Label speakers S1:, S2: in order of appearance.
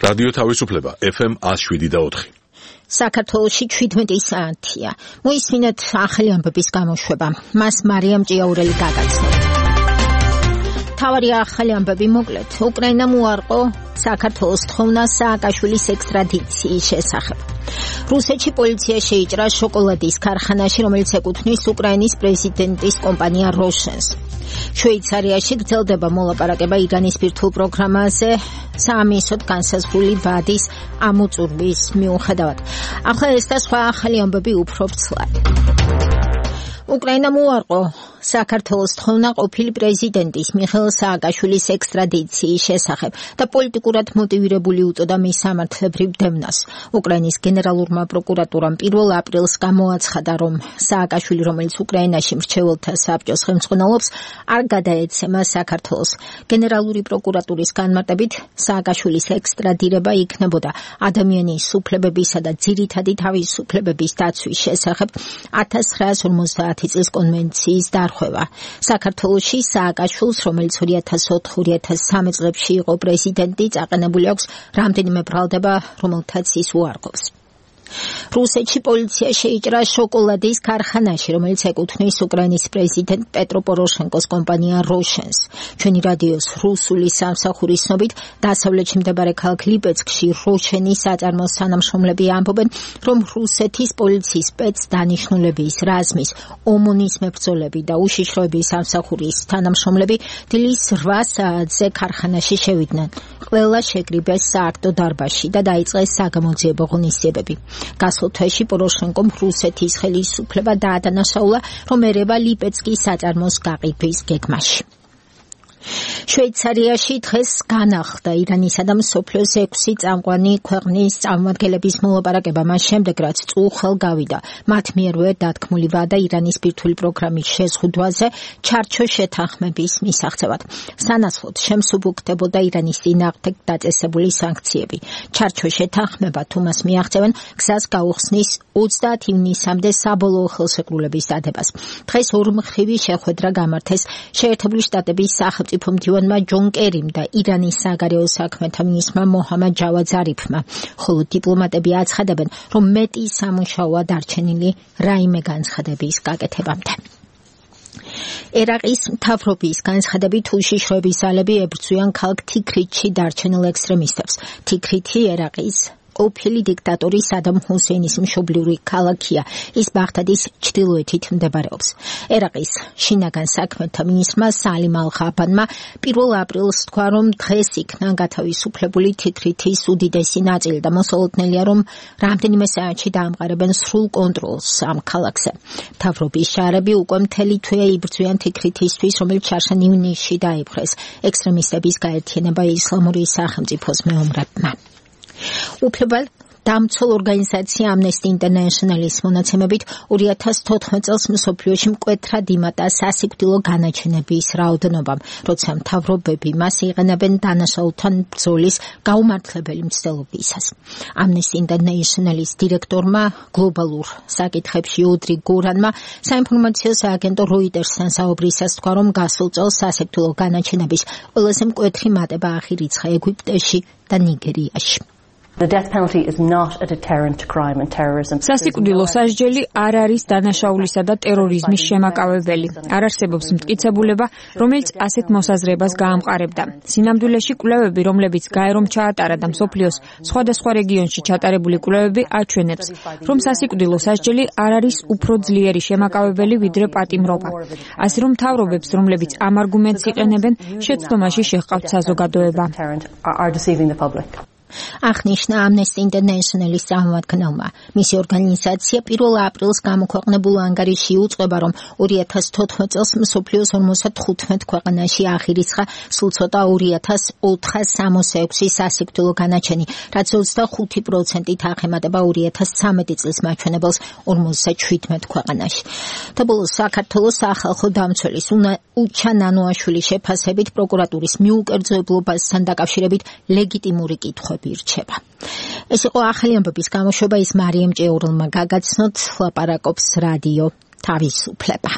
S1: რადიო თავისუფლება FM 107.4.
S2: საქართველოში 17 საათია. მოისმინეთ ახალი ამბების გამოშვება. მას მარიამ ჭიაურელი გაგაცნო. თავარი ახალი ამბები მოკლედ. უკრაინამ უარყო საქართველოს თხოვნა სააკაშვილის ექსტრადიციის შესახებ. რუსეთში პოლიცია შეიჭრა შოკოლადის ქარხანაში, რომელიც ეკუთვნის უკრაინის პრეზიდენტის კომპანია როშენს. შვეიცარიაში გრძელდება მოლაპარაკება ირანის ბირთვულ პროგრამაზე საამისოდ განსაზღვრული ვადის ამოწურვის მიუხედავად. ახლა ეს და სხვა ახალი ამბები უფრო ვრცლად. უკრაინამ უარყო საქართველოს თხოვნა ყოფილი პრეზიდენტის მიხეილ სააკაშვილის ექსტრადიციის შესახებ და პოლიტიკურად მოტივირებული უწოდა მის სამართლებრივ დევნას. უკრაინის გენერალურმა პროკურატურამ 1 აპრილს გამოაცხადა, რომ სააკაშვილი, რომელიც უკრაინაში მრჩეველთა საბჭოს ხელმძღვანელობს, არ გადაეცემა საქართველოს. გენერალური პროკურატურის განმარტებით, სააკაშვილის ექსტრადირება იქნებოდა ადამიანის უფლებებისა და ძირითადი თავისუფლებების დაცვის შესახებ 1950 წლის კონვენციის დარღვევა. საქართველოში სააკაშვილს, რომელიც 2004-2013 წლებში იყო პრეზიდენტი, წაყენებული აქვს რამდენიმე ბრალდება, რომელთაც ის უარყოფს. რუსეთში პოლიცია შეიჭრა შოკოლადის ქარხანაში, რომელიც ეკუთვნის უკრაინის პრეზიდენტ პეტრო პოროშენკოს კომპანია როშენს. ჩვენი რადიოს რუსული სამსახურის ცნობით, დასავლეთში მდებარე ქალაქ ლიპეცკში როშენის საწარმოს თანამშრომლები ამბობენ, რომ რუსეთის პოლიციის სპეცდანიშნულების რაზმის ომონის მებრძოლები და უშიშროების სამსახურის თანამშრომლები დილის 8 საათზე ქარხანაში შევიდნენ. ყველა შეკრიბეს სააქტო დარბაზში და დაიწყეს საგამოძიებო ღონისძიებები. გასულ თვეში პოროშენკომ რუსეთის ხელისუფლება დაადანაშაულა, რომ ერევა ლიპეცკის საწარმოს გაყიდვის გეგმაში. შვეიცარიაში დღეს განახლდა ირანისა და მსოფლიოს 6 წამყვანი ქვეყნის წარმომადგენლების მოლაპარაკება, მას შემდეგ რაც წუხელ გავიდა მათ მიერვე დათქმული ვადა ირანის ბირთვული პროგრამის შეზღუდვაზე ჩარჩო შეთანხმების მისაღწევად. სანაცვლოდ შემსუბუქდებოდა ირანის წინააღმდეგ დაწესებული სანქციები. ჩარჩო შეთანხმება თუ მას მიაღწევენ, გზას გაუხსნის 30 ივნისამდე საბოლოო ხელშეკრულების დადებას. დღეს ორმხრივი შეხვედრა გამართეს შეერთებული შტატების სახელმწიფო მდივანმა ჯონ კერიმ და ირანის საგარეო საქმეთა მინისტრმა მოჰამად ჯავად ზარიფმა, ხოლო დიპლომატები აცხადებენ, რომ მეტი სამუშაოა დარჩენილი რაიმე განცხადების გაკეთებამდე. ერაყის მთავრობის განცხადებით უშიშროების ძალები ებრძვიან ქალაქ თიქრითში დარჩენილ ექსტრემისტებს. თიქრითი ერაყის ყოფილი დიქტატორი სადამ ჰუსეინის მშობლიური ქალაქია, ის ბაღდადის ჩრდილოეთით მდებარეობს. ერაყის შინაგან საქმეთა მინისტრმა სალიმ ალ-ხაფანმა 1 აპრილს თქვა, რომ დღეს იქნა გათავისუფლებული თიქრითის უდიდესი ნაწილი და მოსალოდნელია, რომ რამდენიმე საათში დაამყარებენ სრულ კონტროლს ამ ქალაქზე. მთავრობის შარები უკვე მთელი თვე იბრძვიან თიქრითისთვის, რომელიც შარშან ივნისში დაიპყრეს ექსტრემისტების გაერთიანება ისლამური სახელმწიფოს მეომრებმა. უფლებალ დამცველ ორგანიზაცია Amnesty International-ის მონაცემებით 2014 წელს მსოფლიოში მკვეთრად იმატა სასიკვდილო განაჩენების რაოდენობამ, როცა მთავრობები მას იყენებენ დანაშაულთან ბრძოლის გაუმართლებელი მცდელობისას. Amnesty International-ის დირექტორმა გლობალურ საკითხებში ოდრი გორანმა საინფორმაციო სააგენტო Reuters-თან საუბრისას თქვა, რომ გასულ წელს სასიკვდილო განაჩენების ყველაზე მკვეთრი მატება აღირიცხა ეგვიპტეში და ნიგერიაში.
S3: The death penalty is not a deterrent to crime and terrorism.
S4: სასიკვდილო სასჯელი არ არის დანაშაულისა და ტერორიზმის შემაკავებელი. არ არსებობს მტკიცებულება, რომელიც ასეთ მოსაზრებას გაამყარებდა. სინამდვილეში კვლევები, რომლებიც გაერომ ჩაატარა და მსოფლიოს სხვადასხვა რეგიონში ჩატარებული კვლევები აჩვენებს, რომ სასიკვდილო სასჯელი არ არის უფრო ძლიერი შემაკავებელი ვიდრე პატიმრობა. ასე რომ მთავრობებს, რომლებიც ამ არგუმენტს იყენებენ, შეცდომაში შეჰყავთ საზოგადოება.
S2: აღნიშნა Amnesty International-ის წარმომადგენელმა. მისი ორგანიზაცია 1 აპრილს გამოქვეყნებულ ანგარიში უწყება, რომ 2014 წელს მსოფლიოს 55 ქვეყანაში აღირიცხა სულ ცოტა 2466 სასიკვდილო განაჩენი, რაც 25%-ით აღემატება 2013 წლის მაჩვენებელს 57 ქვეყანაში. და ბოლოს საქართველოს სახალხო დამცველის უჩა ნანოაშვილის შეფასებით პროკურატურის მიუკერძოებლობასთან დაკავშირებით ლეგიტიმური კითხვები ირჩება. ეს იყო ახალი ამბების გამოშვება, ის მარიამ ჭიაურელმა გაგაცნოთ, ლაპარაკობს რადიო თავისუფლება.